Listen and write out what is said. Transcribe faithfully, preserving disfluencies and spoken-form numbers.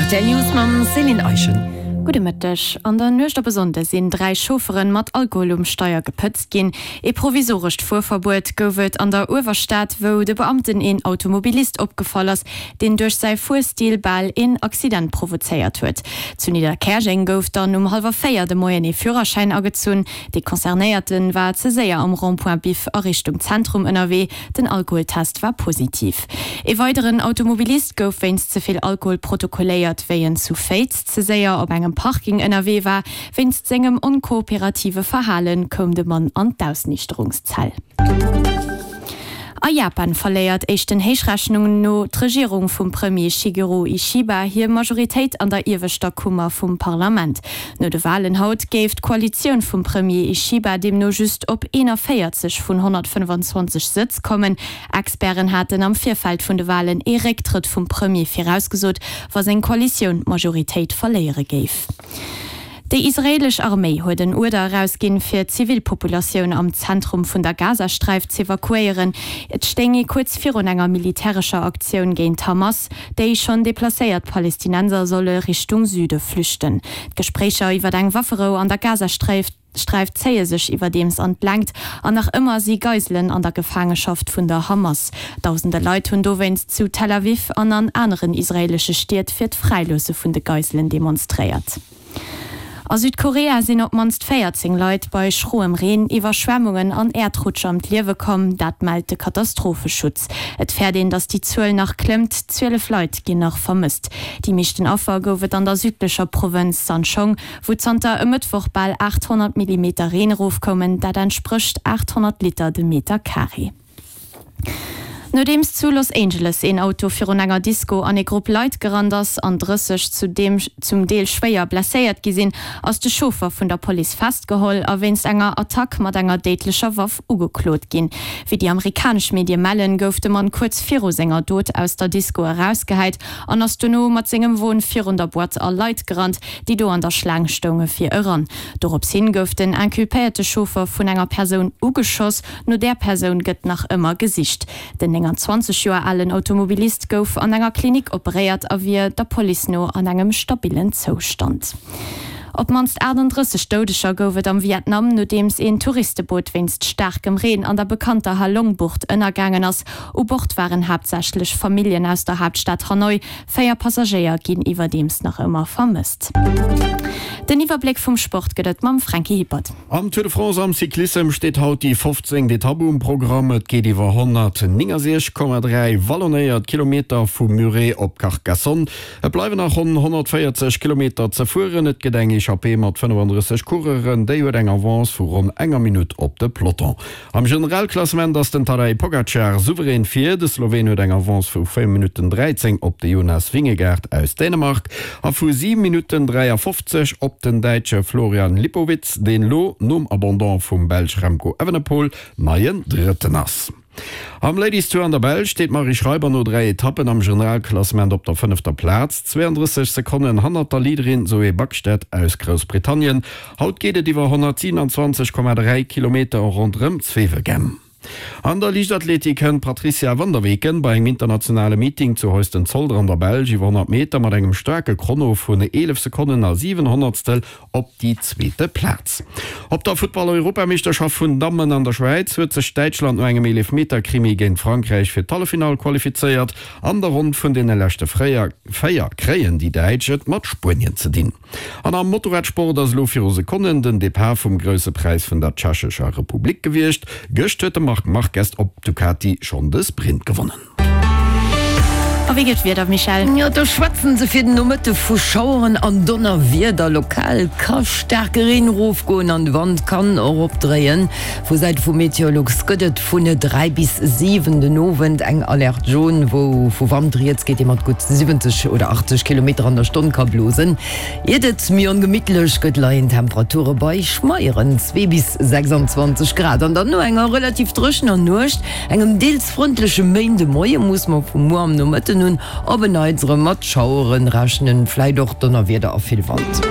Rtl News mam Céline Eischen. Gudde Mëtteg. An der Nuecht op e Sonnde sinn dräi Chauffere mat Alkohol um Steier gepëtzt ginn. Ee provisorescht Fuerverbuet gouf et an der Uewerstad, wou de Beamten een Automobilist opgefall ass, deen duerch säi Fuerstil bal een Accident provozéiert huet. Zu Nidderkäerjeng gouf dann um hallwer véier de Moien ee Führerschäin agezunn. Dee Concernéierte war ze séier am Rond-point Biff a Richtung Zentrum ënnerwee. Den Alkoholtest war positiv. Ee weideren Automobilist gouf wéinst ze vill Alkohol protokolléiert, wéi en zu Féiz ze séier op engem Parking ënnerwee war. Wéinst sengem onkooperative Verhale koum de Mann an d'Ausniichterungszell. A Japan verléiert éischten Héichrechnungen no d'Regierung vum Premier Shigeru Ishiba hir Majoritéit an der ieweschter Kummer vum Parlament. No de Walen haut géif d'Koalitioun vum Premier Ishiba deemno just op eenanvéierzeg vun honnertfënnfanzwanzeg Sëtz kommen. Experten haten am Virfeld vun de Walen ee Récktrëtt vum Premier virausgesot, wa seng Koalitioun d'Majoritéit verléiere géif. Déi israeelesch Arméi huet en Uerder erausginn, fir d'Zivilpopulatioun am Zentrum vun der Gazasträif z'evakuéieren. Et stéing ee kuerz virun enger militärescher Aktioun géint d'Hamas. Déi schonn deplacéiert Palestinenser solle Richtung Süde flüchten. D'Gespréicher iwwer eng Wafferou an der Gazasträif zéie sech iwwerdeems an d'Längt an nach ëmmer si Geiselen an der Gefaangeschaft vun der Hamas. Dausende Leit hunn dowéinst zu Tel Aviv an an aneren israeelesche Stied fir d'Fräiloosse vun de Geiselen demonstréiert. A Südkorea sinn op d'mannst véierzéng Leit bei schroem Reen, Iwwerschwemmungen an Äerdrutsch ëm d'Liewe komm, dat mellt de Katastropheschutz. Et fäert een, datt déi Zuel nach klëmmt, zwielef Leit ginn nach vermësst. Déi meeschten Affer gouf et an der südlecher Provënz Sancheong, wou zanter e Mëttwoch bal aathonnert Millimeter Reen erofkoumen, dat entsprécht aathonnert Liter de Meter Carré. Nodeems zu Los Angeles een Auto virun enger Disco an ee Grupp Leit gerannt ass an drësseg zudeem zum Deel schwéier blesséiert gi sinn, ass de Chauffer vun der Police festgeholl a wéinst enger Attack mat enger déidlecher Waff ugeklot ginn. Wéi déi amerikanesch Medie mellen, gouf de Mann kuerz viru senger Dot aus der Disco erausgehäit an ass dono mat sengem Won virun der Boîte a Leit gerannt, déi do an der Schlaang stounge fir eran. Dorops hin gouf den inculpéierte Chauffer vun enger Persoun ugeschoss. No där Persoun gëtt nach ëmmer gesicht. Den neunundzwanzeg Joer alen Automobilist gouf an enger Klinik operéiert a wier der Police no an engem stabillen Zoustand. Op d'mannst achtundrësseg Doudeger gouf et am Vietnam, nodeems een Touristeboot wéinst staarkem Reen an der bekannter Ha Long-Bucht ënnergaangen ass. U Bord waren haaptsächlech Familljen aus der Haaptstad Hanoi. Véier Passagéier ginn iwwerdeems nach ëmmer vermësst. Den Iwwerbléck vum Sport gëtt et mam Franky Hippert. Am Tour de France am Cyclissem steet haut déi fofzéngt Etapp um Programm. Et geet iwwer honnertnéngasiech Komma dräi wallonéiert Kilometer vu Muret op Carcassonne. Et bleiwen nach ronn honnertvéierzeg Kilometer ze fueren. Et gëtt eng Echappée mat fënnefandrësseg Coureuren. Déi huet eng Avance vu ronn enger Minutt op de Peloton. Am Generalklassement ass den Tadej Pogacar souverän vir. De Sloween huet eng Avance vu véier Minutten dräizéng op de Jonas Vingegaard aus Dänemark a vu siwe Minutten dräiafofzeg op den Däitsche Florian Lipowitz, deen lo nom Abandon vum Belsch Remco Evenepoel neien Drëtten ass. Am Ladies Tour an der Belsch steet d'Marie Schreiber no dräi Etappen am Generalklassement op der fënnefter Plaz, zweeandrësseg Sekonnen hannert der Leaderin Zoe Backstedt aus Groussbritannien. Haut geet et iwwer honnertsiwenanzwanzeg Komma dräi Kilometer ronderëm Zwevegem. An der Liichtathletik kënnt d'Patrizia van der Weken bei engem internationale Meeting zu Heusden-Zolder an der Belsch iwwer honnert Meter mat engem staarke Chrono vun eelef Sekonnen a siwen Honnertstel op déi zweete Plaz. Op der Futtball-Europameeschterschaft vun Dammen an der Schwäiz huet sech Däitschland no engem Eelefmeter-Krimi géint Frankräich fir d'Halleffinall qualifizéiert. An der Ronn vun deene leschte véier kréien déi Däitsch et mat Spuenien ze dinn. An am Motorradsport ass elo viru Sekonnen den Depart vum Grousse Präis vun der Tschechescher Republik gewiescht. Gëscht huet de Marc Marquez op Ducati schonn de Sprint gewonnen. A wéi gëtt d'Wieder, Michèle? Jo, do schwätzen se fir den Nomëtte vu Schaueren an Donnerwieder. Lokal ka staarke Reen erofgoen an de Wand kann och opdréien. Vu Säite vu Meteolux gëtt et vun dräi bis siwen den Owend eng Alerte jaune, wou vu Wand rieds geet, dee mat gutt siwwenzeg oder achtzeg Kilometer an der Stonn ka blosen. Iert et méi ongemittlech gëtt, leien d'Temperature bei schmeieren zwee bis sechsandzwanzeg Grad. An dann no enger relativ dréchener Nuecht, engem deels frëndleche Méindemoie muss mer vu muer am Nomëtten un op en Neits erëm mat Schauere rechnen, vläit och Donnerwieder a vill Wand.